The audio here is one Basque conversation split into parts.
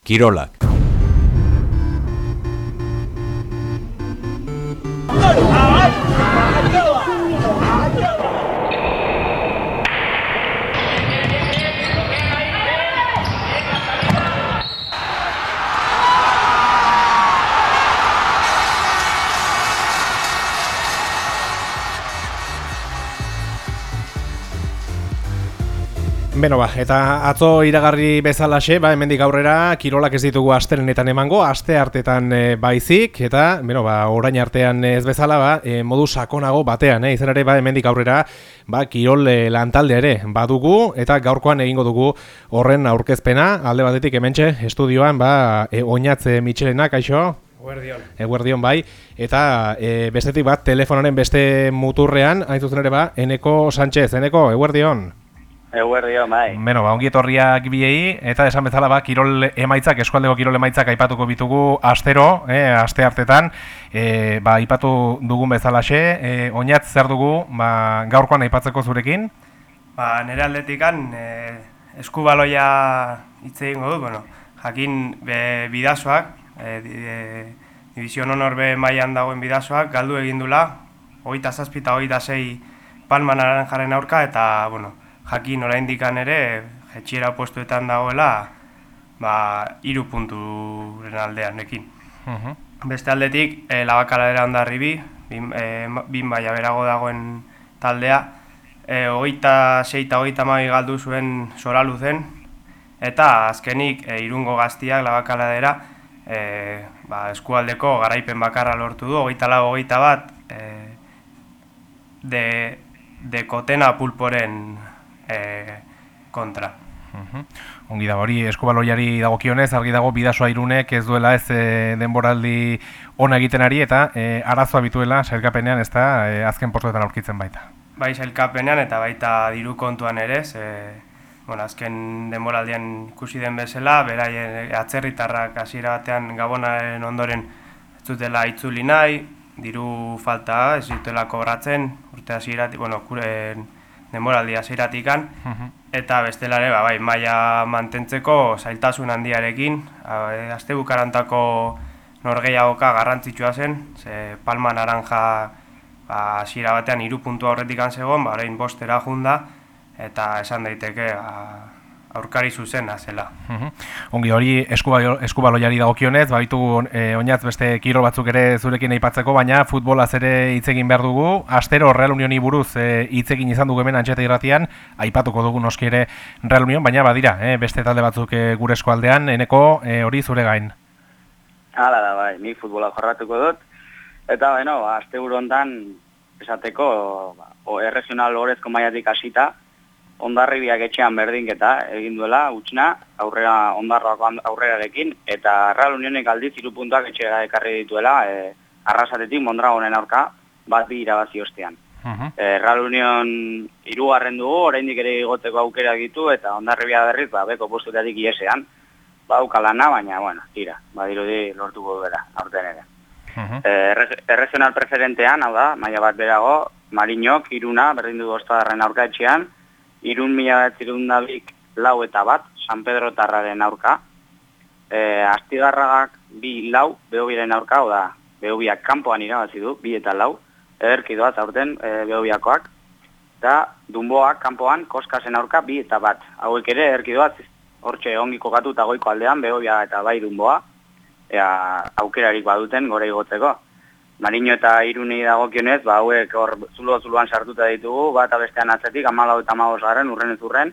Kirolak. Beno eta atzo iragarri bezalaxe, hemendik aurrera kirolak ez ditugu astelenetan emango, aste hartetan baizik, eta orain artean ez bezala modu sakonago batean, izan ere hemendik aurrera kirol lantalde ere badugu, eta gaurkoan egingo dugu horren aurkezpena, alde batetik hementxe estudioan Oñatz Mitxelena, kaixo? Eguerdion bai, eta bestetik telefonaren beste muturrean, hain zuzen ere Eneko Sánchez, Eneko, eguerdion? Eguerdion, bai. Ongi etorriak biei, eta esan bezala kirol emaitzak, eskualdeko kirol emaitzak aipatuko bitugu astero, aste hartetan, aipatu dugun bezalaxe, Oñatz zer dugu, gaurkoan aipatzeko zurekin? Nire aldetikan, eskubaloia hitz egingo du, jakin bidasoak, Division Honor B mailan dagoen bidasoak, galdu egin dula, 27 eta 26 Palma Naranjaren aurka, eta, jakin oraindikan ere, jetxiera postuetan dagoela, 3 punturen aldean ekin. Beste aldetik, Labakaladera Hondarribi, bin maila berago dagoen taldea, 26 eta 32 galdu zuen Soraluzen, eta azkenik Irungo Gaztiak Labakaladera eskualdeko garaipen bakarra lortu du, 24-21 Dekotena Pulporen kontra. Ongi da, hori eskubaloiari dagokionez, argi dago bidasoa Irunek ez duela ez denboraldi ona egiten ari, eta arazoa bituela sailkapenean ez da azken postuetan aurkitzen baita. Bai, sailkapenean eta baita diru kontuan ere, azken denboraldian ikusi den bezala, beraien atzerritarrak hasiera batean Gabonaren ondoren ez dutela itzuli nahi, diru falta ez dutela kobratzen, urte hasieratik, denboraldi hasieratik, eta bestelare maila mantentzeko zailtasun handiarekin, astebukarantako norgehiagoka garrantzitsua zen, Palma Naranja hasiera batean 3 puntu aurretik zegoen, orain 5 junda, eta esan daiteke aurkari zuzena zela. Ongi hori eskubaloiari dagokionez, bitugu Oñatz beste kirol batzuk ere zurekin aipatzeko, baina futbolaz ere hitz egin behar dugu. Astero Real Unioni buruz hitz egin izan dugu hemen Antxeta irratian, aipatuko dugu noski ere Real Union, baina badira, beste talde batzuk gure eskualdean, Eneko hori zure gain. Hala da, bai, ni futbola jorratuko dut, eta asteburu hontan esateko erregional orezko mailatik hasita, Hondarribiak etxean berdinketa egin duela, utxina, Hondarroak aurrerarekin, eta Real Unionek aldiz 3 puntuak etxera ekarri dituela, Arrasatetik Mondragonen aurka, 2-2 irabazi ostean. Real Union 3. dugu, oraindik ere igoteko aukera ditu, eta Hondarribia berriz, beko postuetatik iesean, ukalana, baina, tira, badirudi lortuko duela, aurten ere. Erregional preferentean, hau da, maila bat berago, Mariñok, Iruna, berdin du Ostadarren aurka etxean, Irun 1902 4-1, San Pedro Tarraren aurka. Astigarragak 2-4, Behobiaren aurka, oda, Behobiak kanpoan irabazi du, 2-4, ederki doaz aurten Behobiakoak. Eta Dunboak kanpoan, Koskasen aurka, 2-1. Hauek ere ederki doaz, hortxe ongi kokatu eta goiko aldean, Behobia eta bai Dunboa, aukerarik baduten gore igotzeko. Mariño eta Iruni dagokionez, hauek hor zuloan sartuta ditugu, bat bestean atzetik, 14 eta 15 urrenez urren,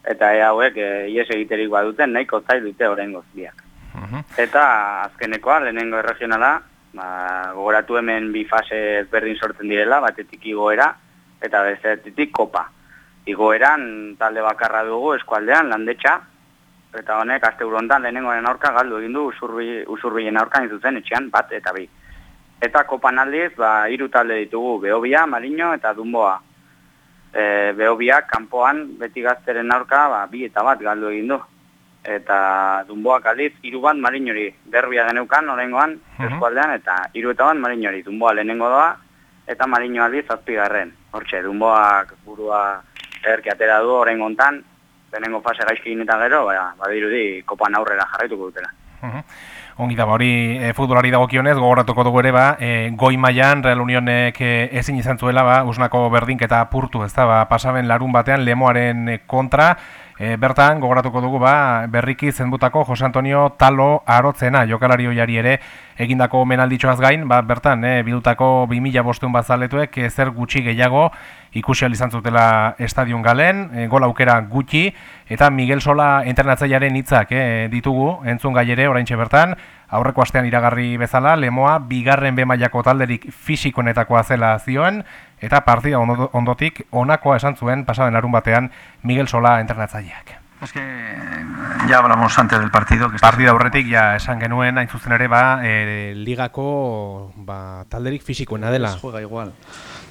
eta hauek ies egiterik baduten, nahiko zail dute oraingoz biak. Eta azkenekoa, lehenengo erregionala, gogoratu hemen 2 fase ezberdin sortzen direla, batetik igoera, eta bestetik kopa. Igoeran talde bakarra dugu eskualdean, Landetxa, eta honek asteburu hontan lehenengoaren aurka galdu egin du Usurbilen aurka zuzen etxean 1 eta 2. Eta kopan aldiz, 3 talde ditugu, Behobia, Mariño eta Dunboa. Behobiak kanpoan beti Gazteren aurka 2 eta 1 galdu egin du. Eta Dunboak aldiz 3-1 Mariñori derbia geneukan oraingoan eskualdean, eta 3 eta 1 Mariñori. Dunboa lehenengo doa eta Mariño aldiz 7. Hortxe, Dunboak burua ederki atera du oraingo hontan, lehenengo fase gaizki egin eta gero, badirudi kopan aurrera jarraituko dutela. Ongi da, hori futbolari dagokionez, gogoratuko dugu ere, goi mailan Real Unionek ezin izan zuela, Usnako berdinketa apurtu, ez da, pasaben larun batean Lemoaren kontra, bertan, gogoratuko dugu, berriki zenbutako Jose Antonio Talo Arotzena, jokalari oiari ere, egindako omenalditxoaz gain, bertan, bildutako 2500 bazaletuek zer gutxi gehiago ikusi ahal izan zutela estadion galen, gol aukera gutxi, eta Miguel Sola entrenatzailearen hitzak ditugu, entzun gai ere, oraintxe bertan, aurreko astean iragarri bezala, Lemoa bigarren B mailako talderik fisikoenetakoa zela zioen, eta partida ondotik honakoa esan zuen pasaden larun batean Miguel Sola entrenatzaileak. Es que ya hablamos antes del partido. Partida aurretik ja esan genuen, hain zuzen ere, ligako talderik fisikoena dela. Juega igual.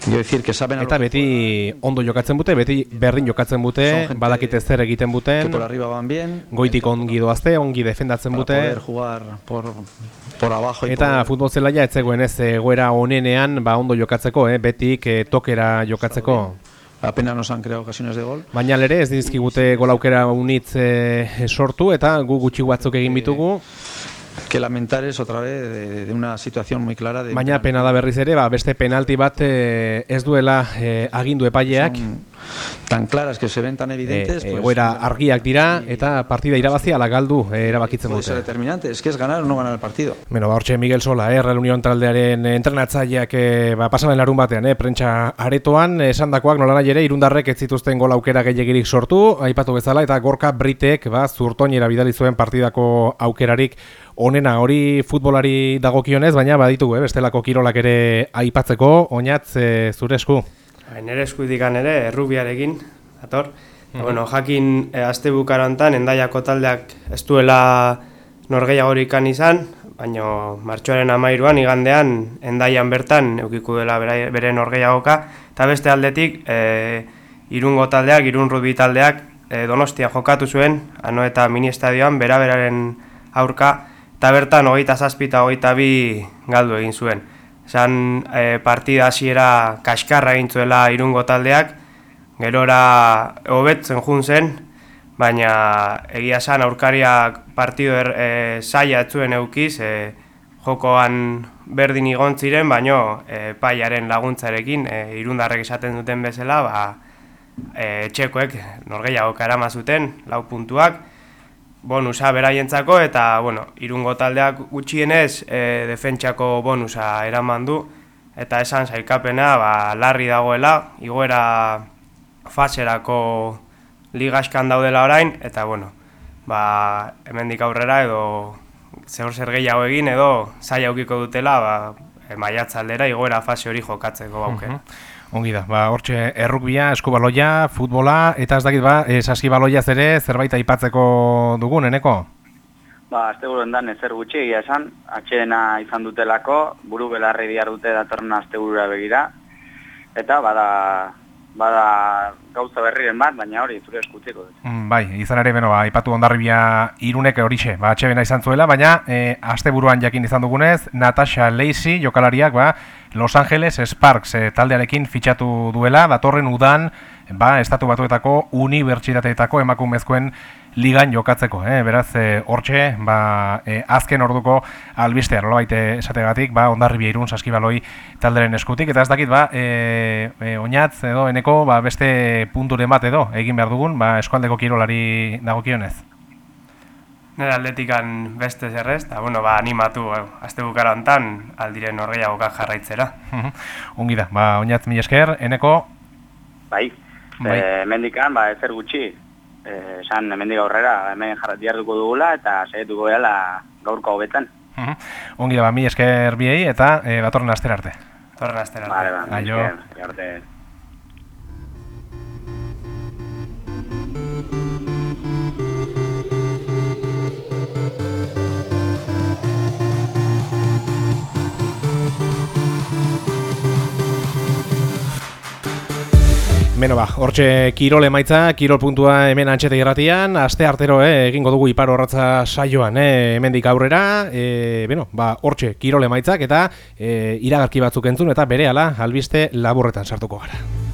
Quiero decir que saben eta beti ondo jokatzen bute, beti berdin jokatzen bute, badakite zer egiten buten, por arriba van bien, goitik ongi doazte, ongi defendatzen bute, poder jugar por abajo eta futbol zelaia ez zegoen ez egoera onenean ondo jokatzeko, betik tokera jokatzeko. Apenas nos han creado ocasiones de gol. Baina ere ez dizkigute gol aukera unitz sortu eta gu gutxi batzuk egin bitugu. Que lamentar es otra vez de una situación muy clara. Baina pena da berriz ere, beste penalti bat ez duela agindu epaileak. Tan claras que se ven tan evidentes. Egoera argiak dira eta partida irabazi ala galdu erabakitzen dute. Puede ser determinante, es que es ganar o no ganar el partido. Bueno, hortxe Miguel Sola, Real Unión taldearen entrenatzaileak pasamen larun batean, prentsa aretoan, esandakoak nolanahi ere irundarrek ez zituzten gol aukera gehiegirik sortu, aipatu bezala, eta Gorka Britek zurtoinera bidali zuen partidako aukerarik onena, hori futbolari dagokionez, baina baditugu, bestelako kirolak ere aipatzeko, oinatz zure esku. Nere eskudikan ere, errubiarekin, dator. Bueno, jakin aste bukarantan, Endaiako taldeak ez duela norgehiagorikan izan, baina martxoaren 13an igandean Endaian bertan eukiko dela bere norgehiagoka, eta beste aldetik Irungo taldeak, Irun rugby taldeak Donostia jokatu zuen, ano eta mini estadioan beraberaren aurka, eta bertan 27 eta 22 galdu egin zuen. Esan partida hasiera kaskarra egin zuela Irungo taldeak, gerora hobetzen jun zen, baina egia esan aurkariak partido zaila ez zuen eukiz, jokoan berdin igon ziren, baina paiaren laguntzarekin irundarrek esaten duten bezala, etxekoek norgehiagoka erama zuten, 4 puntuak, bonusa beraientzako eta Irungo taldeak gutxienez defentsako bonusa eraman du eta esan sailkapena larri dagoela, igoera faserako ligaskan daudela orain eta hemendik aurrera edo zer gehiago egin edo zaila aukiko dutela maiatzaldera igoera fase hori jokatzeko aukera. Ongi da, hortxe errukbia, eskubaloia, futbola, eta ez dakit saskibaloiaz ere zerbait aipatzeko dugun, eneko? Asteburu endan ezer gutxi egia esan, atxedena izan dutelako, buru belarri diar dute datorren asteburura begira, eta bada gauza berriren bat, baina hori zure eskutziko dut. Bai, izan ere, aipatu Hondarribia Irunek horixe, atxedena izan zuela, baina asteburuan jakin izan dugunez, Natasha Lacey jokalariak, Los Angeles Sparks taldearekin fitxatu duela, datorren udan, Estatu Batuetako unibertsitateetako emakumezkoen ligan jokatzeko, beraz, hortxe, azken orduko albistea, nolabait esategatik, Hondarribia Irun saskibaloi talderen eskutik, eta ez dakit, oinatz edo eneko, beste punturen bat edo, egin behar dugun, eskualdeko kirolari dagokionez. Nire atletikan beste zerrez, eta animatu aste bukara hontan aldiren norgehiagoka jarraitzera. Ongi da, oinatz mila esker, eneko? Bai, hemendikan ezer gutxi, esan hemendik aurrera hemen jarratiarduko dugula eta saietuko gehala gaurko hobetan. Ongi da, mila esker biei eta datorren astera arte. Datorren astera arte. Aio. Arte. Hortxe kirol emaitza, kirol puntua hemen antxete irratian, aste artero egingo dugu ipar horratza saioan, hemendik aurrera, hortxe kirol emaitzak eta iragarki batzuk entzun eta berehala albiste laburretan sartuko gara.